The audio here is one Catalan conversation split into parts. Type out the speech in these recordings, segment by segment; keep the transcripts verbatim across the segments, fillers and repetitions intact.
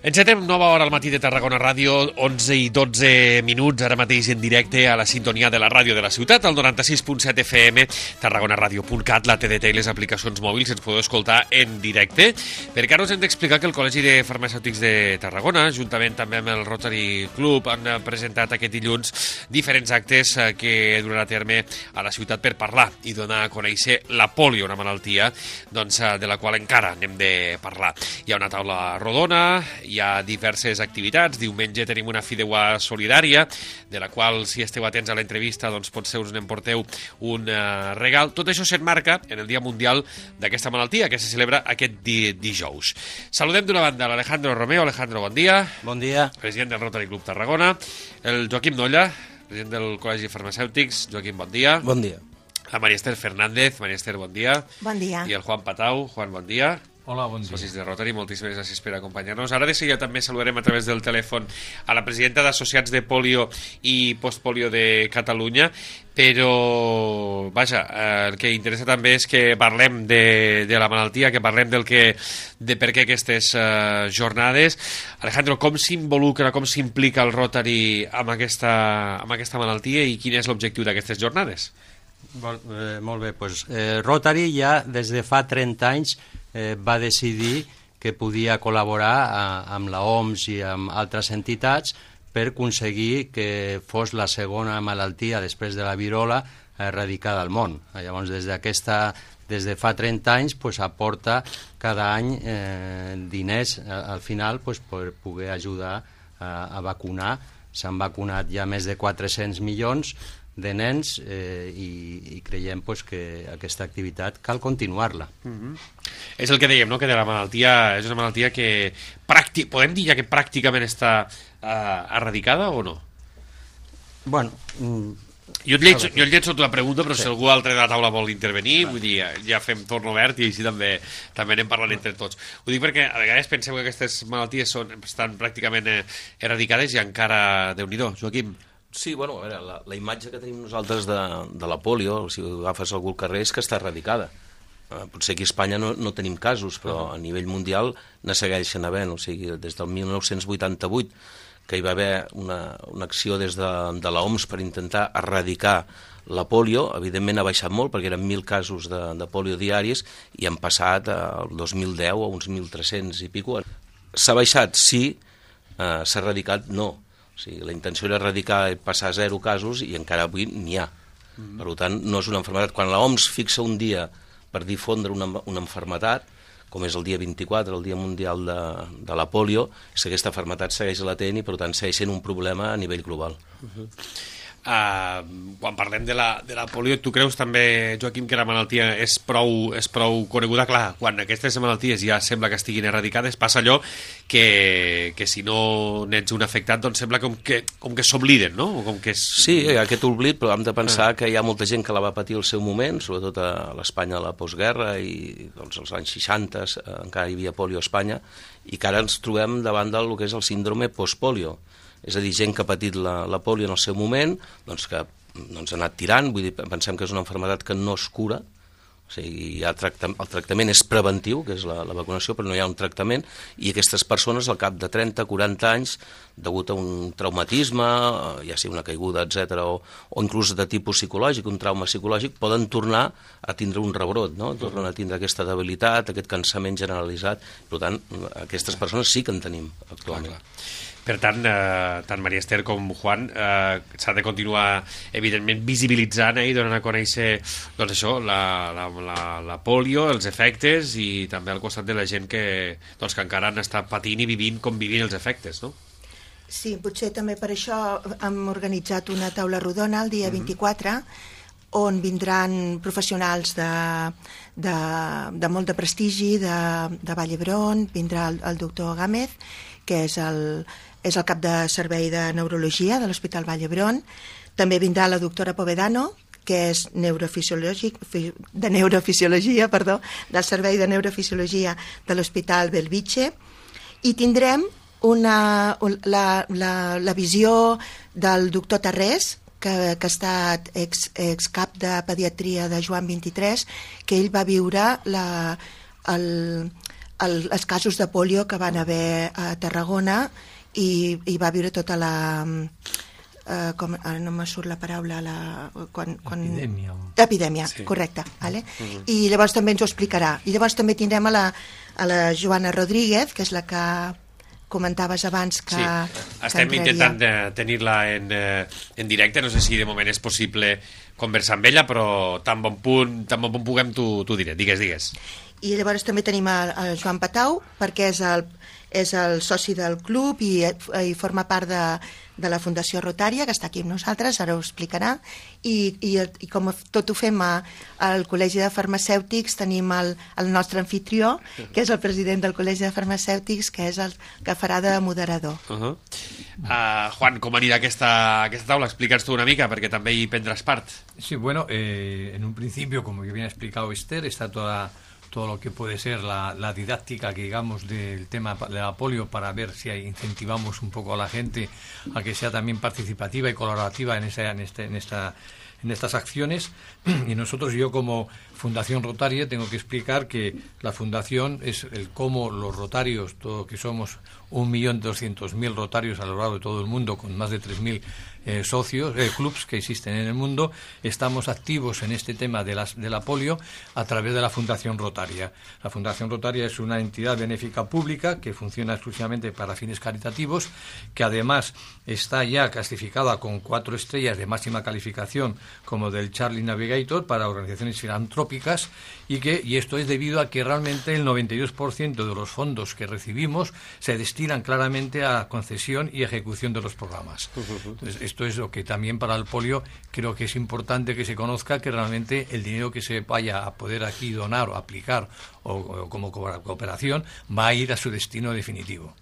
Encetem nova hora al matí de Tarragona Ràdio, onze i dotze minuts, ara mateix en directe a la sintonia de la ràdio de la ciutat, al noranta-sis punt set F M, tarragonaradio punt cat, la T D T i les aplicacions mòbils, ens podeu escoltar en directe, perquè ara us hem d'explicar que el Col·legi de Farmacèutics de Tarragona, juntament també amb el Rotary Club, han presentat aquest dilluns diferents actes que duran a terme a la ciutat per parlar i donar a conèixer la pòlio, una malaltia doncs, de la qual encara anem de parlar. Hi ha una taula rodona, hi ha diverses activitats. Diumenge tenim una fideuà solidària, de la qual, si esteu atents a l'entrevista, doncs potser us n'emporteu un uh, regal. Tot això s'enmarca en el Dia Mundial d'aquesta malaltia, que se celebra aquest di dijous. Saludem d'una banda l'Alejandro Romeo. Alejandro, bon dia. Bon dia. President del Rotary Club Tarragona. El Joaquim Nolla, president del Col·legi de Farmacèutics. Joaquim, bon dia. Bon dia. La Maria Esther Fernández. Maria Esther, bon dia. Bon dia. I el Juan Patau. Juan, bon dia. Hola, bon dia. Socis de Rotary, moltíssimes gràcies per acompanyar-nos. Ara de seguida també saludarem a través del telèfon a la presidenta d'Associats de Polio i Postpolio de Catalunya, però, vaja, eh, el que interessa també és que parlem de, de la malaltia, que parlem del que, de per què aquestes eh, jornades. Alejandro, com s'involucra, com s'implica el Rotary amb aquesta, amb aquesta malaltia i quin és l'objectiu d'aquestes jornades? Bon, eh, molt bé, doncs, eh, Rotary ja des de fa trenta anys eh, va decidir que podia col·laborar a, amb la O M S i amb altres entitats per aconseguir que fos la segona malaltia després de la virola erradicada al món. Llavors, des d'aquesta des de fa trenta anys pues, aporta cada any eh, diners al final pues, per poder ajudar a, a vacunar. S'han vacunat ja més de quatre-cents milions de nens eh, i, i creiem pues, que aquesta activitat cal continuar-la. Mm-hmm. És el que dèiem, no? Que de la malaltia és una malaltia que pràctic, podem dir ja que pràcticament està eh, erradicada o no? Bueno, mm, jo et llenço, jo et llenço la pregunta, però sí. Si algú altre de la taula vol intervenir, vull dir, ja fem torn obert i així també també anem parlant entre tots. Ho dic perquè a vegades penseu que aquestes malalties són, estan pràcticament eh, eradicades i encara, Déu-n'hi-do, Joaquim. Sí, bueno, a veure, la, la imatge que tenim nosaltres de, de la polio, si agafes algú al carrer, és que està erradicada. Eh, potser aquí a Espanya no, no tenim casos, però a nivell mundial ne segueixen havent. O sigui, des del mil nou-cents vuitanta-vuit, que hi va haver una, una acció des de, de la O M S per intentar erradicar la polio, evidentment ha baixat molt, perquè eren mil casos de, de polio diaris, i han passat al dos mil deu a uns mil tres-cents i pico. S'ha baixat, sí, eh, s'ha erradicat, no. O sigui, la intenció era erradicar i passar a zero casos i encara avui n'hi ha. Mm. Per tant, no és una malaltia. Quan la O M S fixa un dia per difondre una, una malaltia, com és el dia vint-i-quatre, el Dia Mundial de, de la Polio, és que aquesta malaltia segueix latent i, per tant, segueix sent un problema a nivell global. Uh-huh. Uh, quan parlem de la, de la polio, tu creus també, Joaquim, que la malaltia és prou, és prou coneguda? Clar, quan aquestes malalties ja sembla que estiguin eradicades, passa allò que, que si no n'ets un afectat, doncs sembla com que, com que s'obliden, no? O com que és... Sí, hi ha aquest oblit, però hem de pensar ah. que hi ha molta gent que la va patir al seu moment, sobretot a l'Espanya de la postguerra i doncs, als anys seixanta encara hi havia polio a Espanya, i que ara ens trobem davant del que és el síndrome postpolio. És a dir, gent que ha patit la, la polio en el seu moment, doncs que doncs, ha anat tirant, vull dir, pensem que és una malaltia que no es cura, o sigui, hi ha tracta, el tractament és preventiu, que és la, la vacunació, però no hi ha un tractament, i aquestes persones al cap de trenta a quaranta anys, degut a un traumatisme, ja sigui una caiguda, etcètera, o, o inclús de tipus psicològic, un trauma psicològic, poden tornar a tindre un rebrot, no? Tornen a tindre aquesta debilitat, aquest cansament generalitzat. Per tant, aquestes persones sí que en tenim actualment. Clar, clar. Per tant, eh, tant Maria Esther com Juan, eh, s'ha de continuar, evidentment, visibilitzant eh, i donant a conèixer doncs això, la, la, la, la polio, els efectes, i també al costat de la gent que, doncs, que encara han estat patint i vivint com vivint els efectes, no? Sí, potser també per això hem organitzat una taula rodona el dia vint-i-quatre, on vindran professionals de, de, de molt de prestigi, de, de Vall d'Hebron, vindrà el, el doctor Gámez, que és el, és el cap de servei de neurologia de l'Hospital Vall d'Hebron. També vindrà la doctora Povedano, que és neurofisiològic, de neurofisiologia, perdó, del servei de neurofisiologia de l'Hospital Bellvitge, i tindrem una, la, la, la visió del doctor Tarrés, que, que ha estat ex, ex cap de pediatria de Joan vint-i-tres, que ell va viure la, el, el, els casos de polio que van haver a Tarragona i, i va viure tota la... Uh, com, ara no me surt la paraula la, quan, quan... epidèmia epidèmia, sí. Correcte, vale? Uh-huh. I llavors també ens ho explicarà i llavors també tindrem a la, a la Joana Rodríguez, que és la que comentaves abans que, sí. que estem entraria. intentant eh, tenir-la en, eh, en directe, no sé si de moment és possible conversar amb ella, però tan bon punt, tan bon punt puguem t'ho diré, digues, digues. I llavors també tenim a, a Joan Patau, perquè és el, és el soci del club i, i forma part de, de la Fundació Rotària, que està aquí amb nosaltres, ara ho explicarà, i, i, i com tot ho fem a, al Col·legi de Farmacèutics, tenim el, el nostre anfitrió, que és el president del Col·legi de Farmacèutics, que és el que farà de moderador. Uh -huh. uh, Juan, com anirà aquesta, aquesta taula? Explica'ns tu una mica, perquè també hi prendràs part. Sí, bueno, eh, en un principio, como bien ha explicado Esther, está toda... todo lo que puede ser la, la didáctica, que digamos, del tema de la polio, para ver si incentivamos un poco a la gente a que sea también participativa y colaborativa en, esa, en, este, en, esta, en estas acciones. Y nosotros, yo como Fundación Rotaria, tengo que explicar que la Fundación es el cómo los rotarios, todo que somos un millón doscientos mil rotarios a lo largo de todo el mundo, con más de tres mil Eh, socios, eh, clubs que existen en el mundo, estamos activos en este tema de, las, de la polio a través de la Fundación Rotaria. La Fundación Rotaria es una entidad benéfica pública que funciona exclusivamente para fines caritativos, que además está ya clasificada con cuatro estrellas de máxima calificación como del Charlie Navigator para organizaciones filantrópicas, y que y esto es debido a que realmente el noventa y dos por ciento de los fondos que recibimos se destinan claramente a concesión y ejecución de los programas. Entonces, esto es lo que también para el polio creo que es importante que se conozca, que realmente el dinero que se vaya a poder aquí donar o aplicar o, o como cooperación va a ir a su destino definitivo.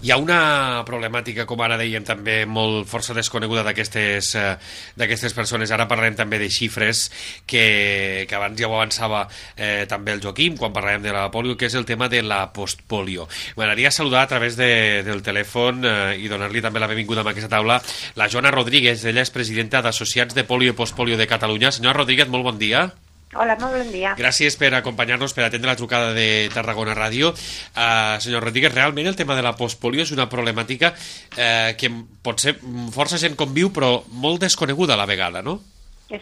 Hi ha una problemàtica, com ara dèiem, també molt força desconeguda d'aquestes eh, d'aquestes persones. Ara parlarem també de xifres que, que abans ja ho avançava eh, també el Joaquim quan parlàvem de la polio, que és el tema de la postpolio. M'agradaria saludar a través de, del telèfon eh, i donar-li també la benvinguda a aquesta taula la Joana Rodríguez. Ella és presidenta d'Associats de Polio i Postpolio de Catalunya. Senyora Rodríguez, molt bon dia. Hola, molt bon dia. Gràcies per acompanyar-nos, per atendre la trucada de Tarragona Ràdio. Uh, senyor Rodríguez, realment el tema de la postpolio és una problemàtica uh, que potser força gent conviu, però molt desconeguda a la vegada, no?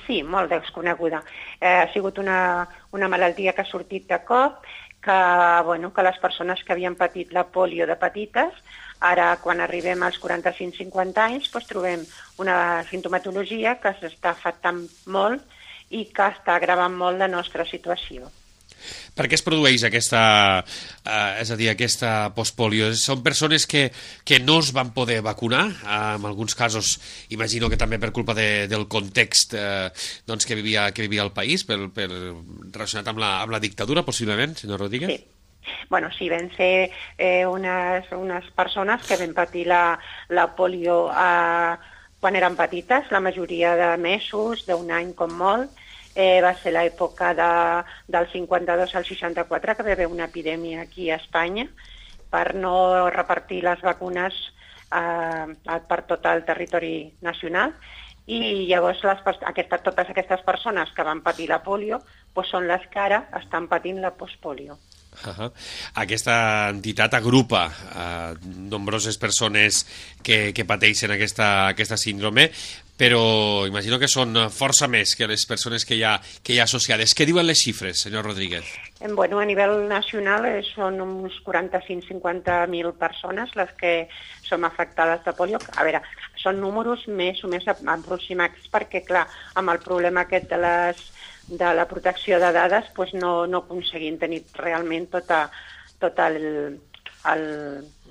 Sí, molt desconeguda. Eh, ha sigut una, una malaltia que ha sortit de cop, que, bueno, que les persones que havien patit la polio de petites, ara quan arribem als quaranta-cinc cinquanta anys, doncs trobem una sintomatologia que s'està afectant molt i que està agravant molt la nostra situació. Per què es produeix aquesta, eh, és a dir, aquesta postpolio? Són persones que, que no es van poder vacunar, eh, en alguns casos imagino que també per culpa de, del context eh, doncs que, vivia, que vivia el país, per, per, relacionat amb la, amb la dictadura, possiblement, senyor Rodríguez? Sí. Bueno, sí, van ser eh, unes, unes persones que van patir la, la polio a... quan eren petites, la majoria de mesos, d'un any com molt. Eh, va ser l'època de, del cinquanta-dos al seixanta-quatre, que va haver una epidèmia aquí a Espanya, per no repartir les vacunes eh, per tot el territori nacional. I llavors les, aquesta, totes aquestes persones que van patir la polio doncs són les que ara estan patint la postpolio. Uh-huh. Aquesta entitat agrupa uh, nombroses persones que, que pateixen aquesta, aquesta síndrome, però imagino que són força més que les persones que hi ha, que hi ha associades. Què diuen les xifres, senyor Rodríguez? Bueno, a nivell nacional eh, són uns quaranta-cinc cinquanta mil persones les que som afectades de polio. A veure, són números més o més aproximats perquè, clar, amb el problema aquest de les de la protecció de dades, doncs no, no aconseguim tenir realment tota, tot el, el,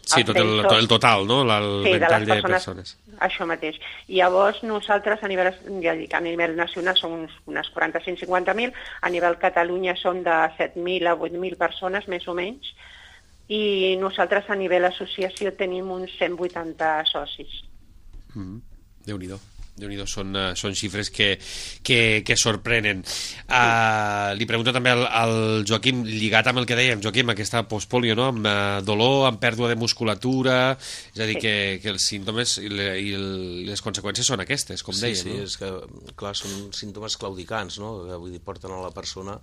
sí, tot el, tot el total, no? El sí, ventall de, de persones. Això mateix. I llavors nosaltres a nivell, ja dic, a nivell nacional som uns, unes quaranta-cinc cinquanta mil, a nivell Catalunya som de set mil a vuit mil persones, més o menys, i nosaltres a nivell associació tenim uns cent vuitanta socis. Mm-hmm. Déu-n'hi-do. Déu-n'hi-do, són, uh, són xifres que, que, que sorprenen. Uh, li pregunto també al, al Joaquim, lligat amb el que dèiem, Joaquim, aquesta postpolio, no? Amb uh, dolor, amb pèrdua de musculatura, és a dir, sí. que, que els símptomes i, le, i el, les conseqüències són aquestes, com sí, deia, sí, no? És que, clar, són símptomes claudicants, no? Que, vull dir, porten a la persona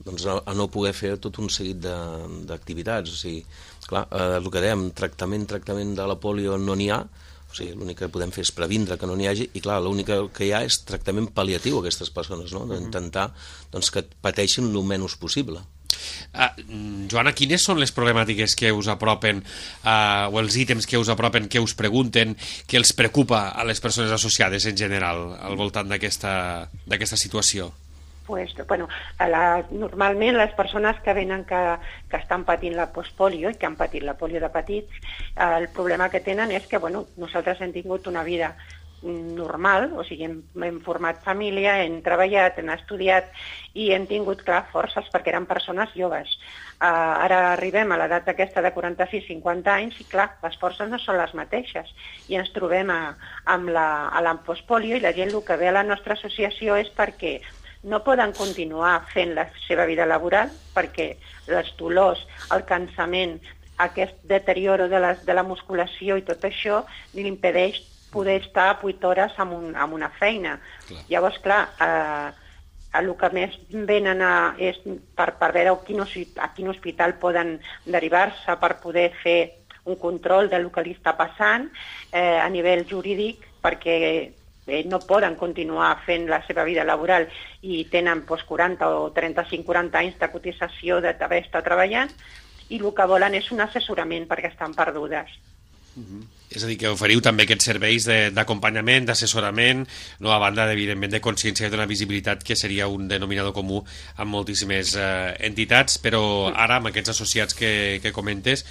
doncs, a, a no poder fer tot un seguit d'activitats. O sigui, clar, eh, el que dèiem, tractament, tractament de la polio no n'hi ha, o sigui, l'únic que podem fer és previndre que no n'hi hagi, i clar, l'únic que hi ha és tractament pal·liatiu a aquestes persones, no? D'intentar doncs, que pateixin el menys possible. Uh, Joana, quines són les problemàtiques que us apropen uh, o els ítems que us apropen, que us pregunten, que els preocupa a les persones associades en general al voltant d'aquesta d'aquesta situació? Pues, bueno, la, normalment les persones que venen que, que estan patint la postpolio i que han patit la polio de petits, eh, el problema que tenen és que bueno, nosaltres hem tingut una vida normal, o sigui, hem, hem format família, hem treballat, hem estudiat i hem tingut, clar, forces perquè eren persones joves. Uh, ara arribem a l'edat aquesta de quaranta-sis a cinquanta anys i, clar, les forces no són les mateixes i ens trobem a, amb la, a la postpolio i la gent el que ve a la nostra associació és perquè no poden continuar fent la seva vida laboral perquè els dolors, el cansament, aquest deterioro de, les, de la musculació i tot això li impedeix poder estar vuit hores en, un, en una feina. Clar. Llavors, clar, eh, el que més venen a, és per, per veure a quin, a quin hospital poden derivar-se per poder fer un control del que li està passant eh, a nivell jurídic, perquè eh, no poden continuar fent la seva vida laboral i tenen pues, quaranta o trenta-cinc quaranta anys de cotització d'haver estat treballant i el que volen és un assessorament perquè estan perdudes. Uh-huh. És a dir, que oferiu també aquests serveis d'acompanyament, d'assessorament, no, a banda, evidentment, de consciència i d'una visibilitat que seria un denominador comú amb moltíssimes eh, entitats, però ara, amb aquests associats que, que comentes,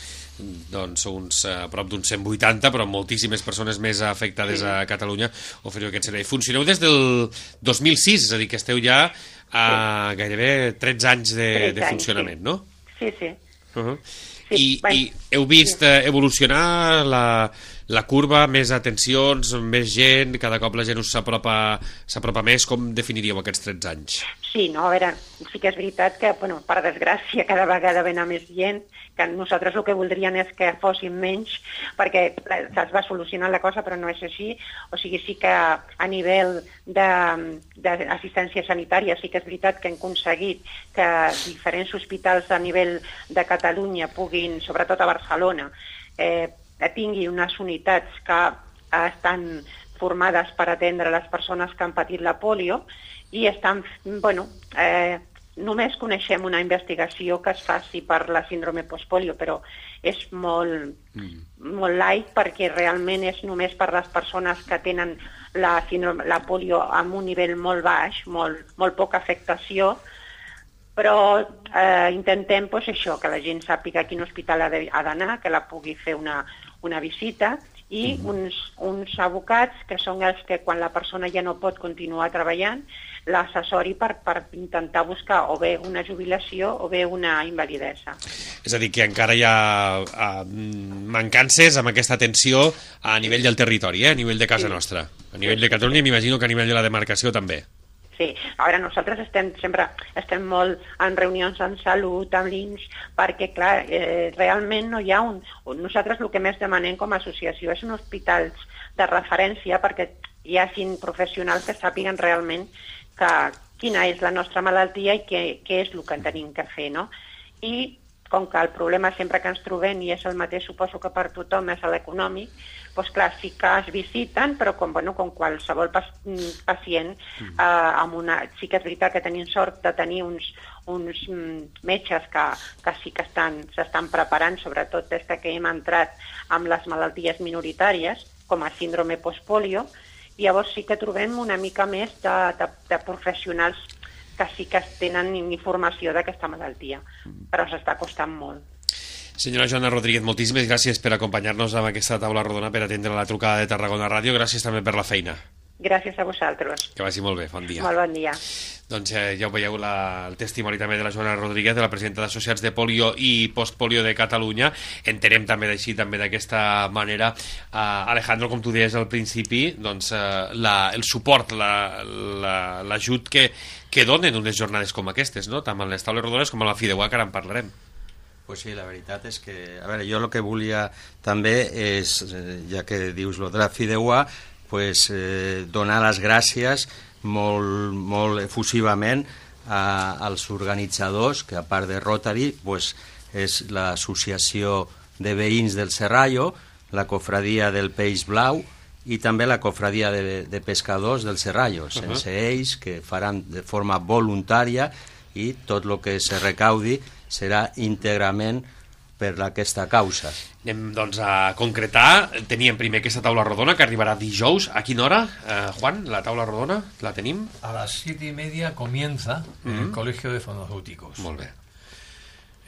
doncs uns a prop d'uns cent vuitanta, però moltíssimes persones més afectades a Catalunya, oferiu aquest servei. Funcioneu des del dos mil sis, és a dir, que esteu ja a gairebé tretze anys de, de funcionament, no? Sí, sí. Uh-huh. I, i heu vist eh, evolucionar la, la curva, més atencions, més gent, cada cop la gent us s'apropa s'apropa més. Com definiríeu aquests tretze anys? Sí, no, a veure, sí que és veritat que, bueno, per desgràcia, cada vegada ven a més gent, que nosaltres el que voldríem és que fossin menys, perquè es va solucionar la cosa, però no és així. O sigui, sí que a nivell d'assistència sanitària sí que és veritat que hem aconseguit que diferents hospitals a nivell de Catalunya puguin, sobretot a Barcelona, eh, tingui unes unitats que estan formades per atendre les persones que han patit la polio i estan, bueno, eh, només coneixem una investigació que es faci per la síndrome postpolio, però és molt, mm. molt light perquè realment és només per les persones que tenen la, síndrome, la polio amb un nivell molt baix, molt, molt poca afectació, però eh, intentem pues, això, que la gent sàpiga a quin hospital ha d'anar, que la pugui fer una, una visita, i uns, uns advocats que són els que quan la persona ja no pot continuar treballant l'assessori per, per intentar buscar o bé una jubilació o bé una invalidesa. És a dir, que encara hi ha uh, mancances amb aquesta atenció a nivell del territori, eh? A nivell de casa sí. nostra. A nivell de Catalunya m'imagino que a nivell de la demarcació també. Sí, a veure, nosaltres estem sempre estem molt en reunions en salut, amb l'I N S, perquè, clar, eh, realment no hi ha un... Nosaltres el que més demanem com a associació és un hospitals de referència perquè hi hagin professionals que sàpiguen realment que, quina és la nostra malaltia i què, què és el que tenim que fer, no? I com que el problema sempre que ens trobem, i és el mateix, suposo que per tothom, és l'econòmic, doncs clar, sí que es visiten, però com, bueno, com qualsevol pacient, mm. eh, amb una, sí que és veritat que tenim sort de tenir uns, uns metges que, que sí que s'estan preparant, sobretot des que hem entrat amb les malalties minoritàries, com a síndrome postpolio, i llavors sí que trobem una mica més de, de, de professionals que sí que tenen informació d'aquesta malaltia, però s'està costant molt. Senyora Joana Rodríguez, moltíssimes gràcies per acompanyar-nos amb aquesta taula rodona per atendre la trucada de Tarragona Ràdio. Gràcies també per la feina. Gràcies a vosaltres. Que vagi molt bé, bon dia. Molt bon dia. Doncs eh, ja ho veieu, la, el testimoni també de la Joana Rodríguez, de la presidenta d'Associats de Polio i Postpolio de Catalunya. Entenem també d'així, també d'aquesta manera, eh, Alejandro, com tu deies al principi, doncs, eh, la, el suport, l'ajut la, que, que donen unes jornades com aquestes, no? Tant amb les taules rodones com amb la Fideuà, que ara en parlarem. Pues sí, la veritat és que... A veure, jo el que volia també és, ja que dius lo de la Fideuà, pues, eh, donar les gràcies molt, molt efusivament a, als organitzadors, que a part de Rotary pues, és l'associació de veïns del Serrallo, la cofradia del Peix Blau i també la cofradia de, de pescadors del Serrallo, sense uh-huh. ells, que faran de forma voluntària, i tot el que se recaudi serà íntegrament per aquesta causa. Anem doncs a concretar. Teníem primer aquesta taula rodona que arribarà dijous. A quina hora, eh, Juan, la taula rodona? La tenim? A las siete y media comienza en uh-huh. el Colegio de Farmacéuticos. Molt bé.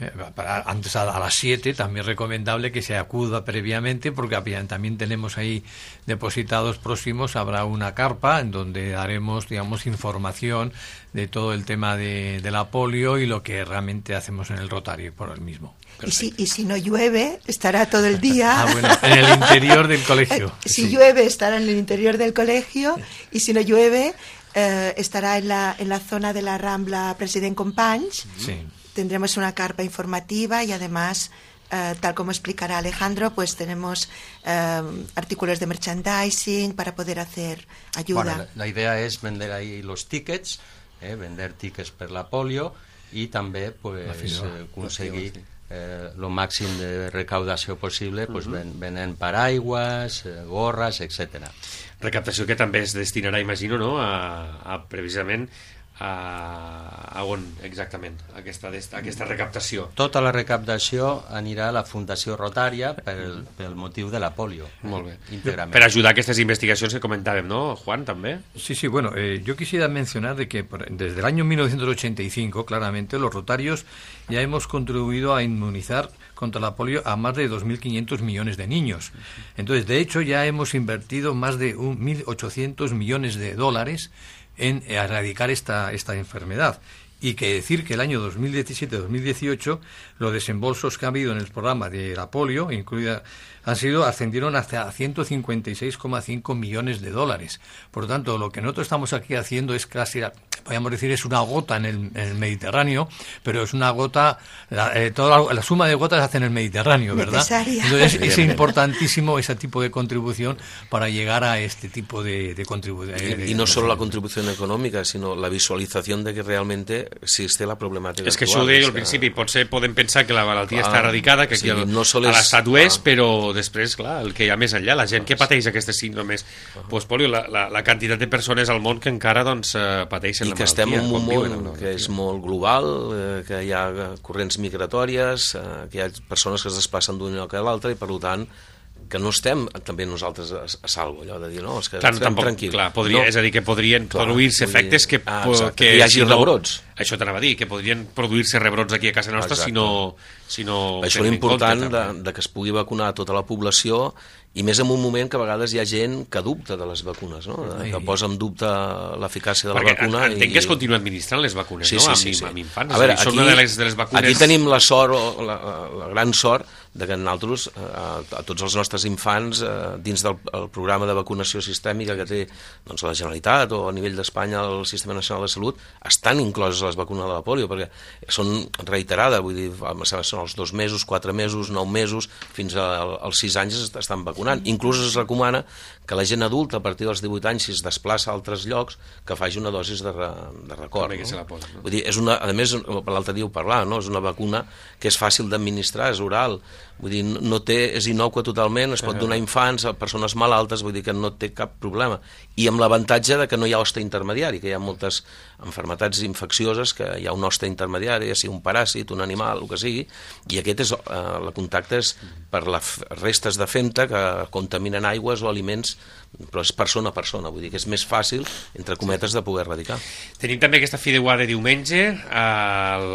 Eh, para, antes a, a las siete, también recomendable que se acuda previamente, porque también tenemos ahí depositados próximos, habrá una carpa en donde haremos, digamos, información de todo el tema de, de la polio y lo que realmente hacemos en el Rotario por el mismo. Y si, y si no llueve, estará todo el día... Ah, bueno, en el interior del colegio. Si sí. llueve, estará en el interior del colegio, y si no llueve, eh, estará en la, en la zona de la Rambla President Companys. Sí. Tendremos una carpa informativa y además, eh, tal como explicará Alejandro, pues tenemos eh, artículos de merchandising para poder hacer ayuda. Bueno, la, la idea es vender ahí los tickets, eh, vender tickets per la polio i també pues, eh, aconseguir eh, lo màxim de recaudació possible pues, uh-huh. ven, venent paraigües, eh, gorres, etcètera. Recaptació que també es destinarà, imagino, no? a, a precisament a, a on exactament aquesta, aquesta recaptació? Tota la recaptació anirà a la Fundació Rotària pel, pel motiu de la polio. Molt bé. Íntegrament. Per ajudar a aquestes investigacions que comentàvem, ¿no, Juan, també? Sí, sí, bueno, eh, yo quisiera mencionar de que por, desde el año mil novecientos ochenta y cinco, claramente, los rotarios ya hemos contribuido a inmunizar contra la polio a más de dos mil quinientos millones de niños. Entonces, de hecho, ya hemos invertido más de mil ochocientos millones de dólares en erradicar esta, esta enfermedad. Y que decir que el año dos mil diecisiete dos mil dieciocho los desembolsos que ha habido en el programa de la polio, incluida, han sido, ascendieron hasta ciento cincuenta y seis coma cinco millones de dólares. Por lo tanto, lo que nosotros estamos aquí haciendo es casi, podríamos decir, es una gota en el, en el Mediterráneo, pero es una gota, la, eh, toda la, la suma de gotas hace en el Mediterráneo, ¿verdad? Necesaria. Entonces es importantísimo ese tipo de contribución para llegar a este tipo de, de contribución. Y, y no solo la contribución econòmica, sinó la visualització de que realmente existe la problemàtica és que actual. això ho deia al principi, potser podem pensar que la malaltia clar, està erradicada, que aquí sí, el, no a és, l'estat ho és, clar. però després, clar, el que hi ha més enllà, la gent que pateix aquestes síndromes uh-huh. postpolio, la, la, la quantitat de persones al món que encara doncs, pateixen I la que malaltia. estem en un món no, que és molt global, eh, que hi ha corrents migratòries, eh, que hi ha persones que es desplacen d'un lloc a l'altre i per tant que no estem també nosaltres a, a salvo, allò de dir, no, és que clar, estem tampoc, tranquils. Clar, podria, no. És a dir, que podrien clar, produir-se efectes que, ah, que, que hi hagi si no, rebrots. Això t'anava a dir, que podrien produir-se rebrots aquí a casa nostra si no, si no... Això és important de, de que es pugui vacunar tota la població i més en un moment que a vegades hi ha gent que dubta de les vacunes, no? que posa en dubte l'eficàcia de la perquè vacuna. Entenc i... que es continua administrant les vacunes, sí, no? Sí, amb, sí, sí. amb infants. A veure, aquí, aquí, una de les, de les vacunes... aquí tenim la sort, la, la gran sort, de que nosaltres, a, a tots els nostres infants, a, dins del el programa de vacunació sistèmica que té doncs, la Generalitat o a nivell d'Espanya el Sistema Nacional de Salut, estan incloses les vacunes de la polio, perquè són reiterades, vull dir, són els dos mesos, quatre mesos, nou mesos, fins als sis anys estan vacunant. Inclús es recomana que la gent adulta a partir dels divuit anys, si es desplaça a altres llocs, que faci una dosis de, re, de record. No? Se la posa, no? Vull dir, és una, a més, l'altre dia ho parlava, no? És una vacuna que és fàcil d'administrar, és oral, vull dir, no té, és innòcua totalment, es pot donar a infants, a persones malaltes, vull dir que no té cap problema. I amb l'avantatge de que no hi ha hoste intermediari, que hi ha moltes malalties infeccioses que hi ha un hoste intermediari, ja sigui un paràsit, un animal, el que sigui, i aquest és, eh, el contacte és per les restes de femta que contaminen aigües o aliments, però és persona a persona, vull dir que és més fàcil, entre cometes, de poder erradicar. Tenim també aquesta fideuà de diumenge, el...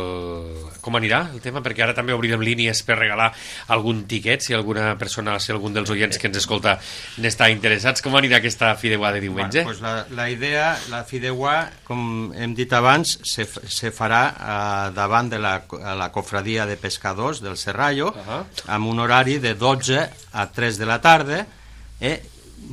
com anirà el tema? Perquè ara també obrirem línies per regalar algun tiquet, si alguna persona, si algun dels oients que ens escolta n'està interessats. Com anirà aquesta fideuà de diumenge? Bueno, pues la, la idea, la fideuà, com hem dit abans, se, se farà eh, davant de la, la cofradia de pescadors del Serrallo, uh-huh. amb un horari de dotze a tres de la tarda. Eh?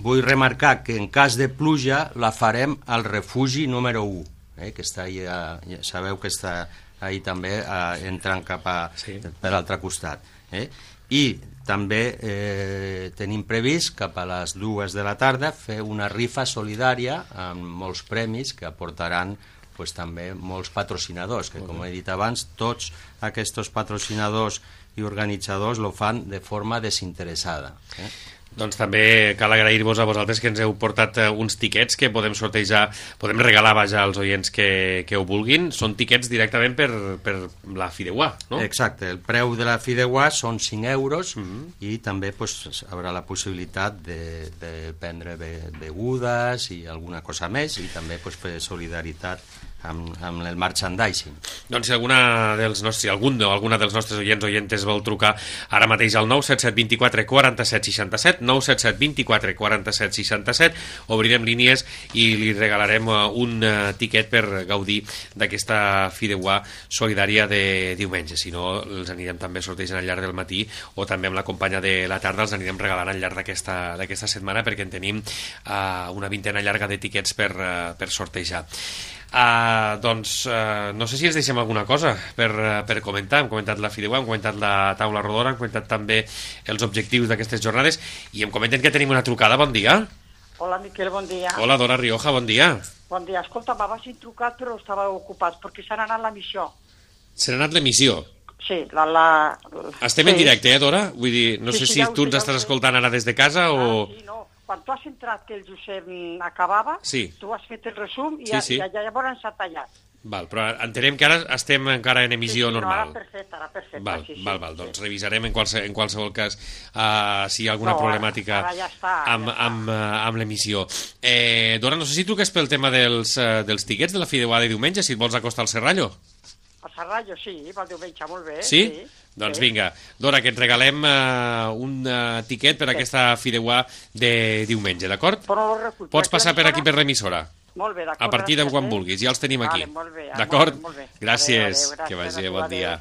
Vull remarcar que en cas de pluja la farem al refugi número u, eh? que està ahí, eh, ja sabeu que està ahí també eh, entrant cap a, sí. per l'altre costat. Eh? I també eh, tenim previst cap a les dues de la tarda fer una rifa solidària amb molts premis que aportaran pues, també molts patrocinadors, que com he dit abans, tots aquests patrocinadors i organitzadors lo fan de forma desinteressada. Eh? Doncs també cal agrair-vos a vosaltres que ens heu portat uns tiquets que podem sortejar, podem regalar vaja als oients que, que ho vulguin. Són tiquets directament per, per la Fideuà, no? Exacte, el preu de la Fideuà són cinc euros uh-huh. i també pues, haurà la possibilitat de, de prendre be begudes i alguna cosa més, i també pues, fer solidaritat amb, amb el merchandising. Doncs si alguna dels nostres, si algun o alguna dels nostres oients oientes vol trucar ara mateix al nou set set dos quatre quatre set sis set, nou set set dos quatre quatre set sis set, obrirem línies i li regalarem un uh, tiquet per gaudir d'aquesta Fideuà solidària de diumenge. Si no, els anirem també sortejant al llarg del matí, o també amb la companya de la tarda els anirem regalant al llarg d'aquesta d'aquesta setmana, perquè en tenim uh, una vintena llarga de tiquets per, uh, per sortejar. Uh, doncs uh, no sé si ens deixem alguna cosa per, uh, per comentar. Hem comentat la Fideuà, hem comentat la taula rodona, hem comentat també els objectius d'aquestes jornades, i em comenten que tenim una trucada. Bon dia. Hola, Miquel, bon dia. Hola, Dora Rioja, bon dia. Bon dia. Escolta, m'havas trucat però estava ocupat perquè s'han anat l'emissió. Se n'ha anat l'emissió? Sí, la... la... Estem sí. en directe, eh, Dora? Vull dir, no sí, sé sí, si ja tu ens sé, estàs ja escoltant ara des de casa ah, o... Sí, no. Quan tu has entrat que el Josep acabava, sí. tu has fet el resum i, sí, sí. ja, ja llavors s'ha tallat. Val, però entenem que ara estem encara en emissió sí, sí, normal. No, ara perfecte, ara perfecte. Val, sí, sí, val, val. Sí. Doncs revisarem en, qualse, en qualsevol cas uh, si hi ha alguna no, problemàtica ara ja està, amb, ja està. amb, uh, amb l'emissió. Eh, Dora, no sé si truques pel tema dels, uh, dels tiquets de la Fideuà de diumenge, si et vols acostar al Serrallo. Al Serrallo, sí, pel diumenge, molt bé. Sí? sí doncs sí. vinga, Dora, que et regalem uh, un uh, tiquet per sí. aquesta Fideuà de diumenge, d'acord? Pots passar per aquí per l'emissora. Molt bé, d'acord. A partir de quan eh? vulguis, ja els tenim aquí. Vale, molt bé, d'acord? Molt bé, molt bé. Gràcies, adéu, adéu, que vagi, adéu, bon adéu. dia.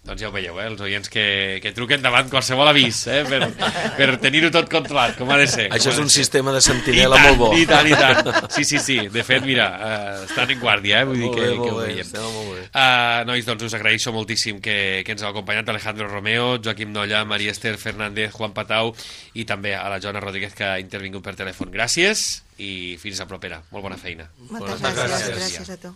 Doncs ja ho veieu, eh? Els oients que, que truquen davant qualsevol avís, eh? per, per tenir-ho tot controlat, com ha de ser. Això és un ser. sistema de sentinela molt bo. I tant, i tant. Sí, sí, sí. De fet, mira, uh, estan en guàrdia, eh? Vull dir molt que, bé, que ho bé, veiem. molt bé. Uh, nois, doncs us agraeixo moltíssim que, que ens heu acompanyat, Alejandro Romeo, Joaquim Nolla, Maria Esther Fernández, Juan Patau, i també a la Joana Rodríguez, que ha intervingut per telèfon. Gràcies i fins a propera. Molt bona feina. Moltes gràcies, gràcies a tu.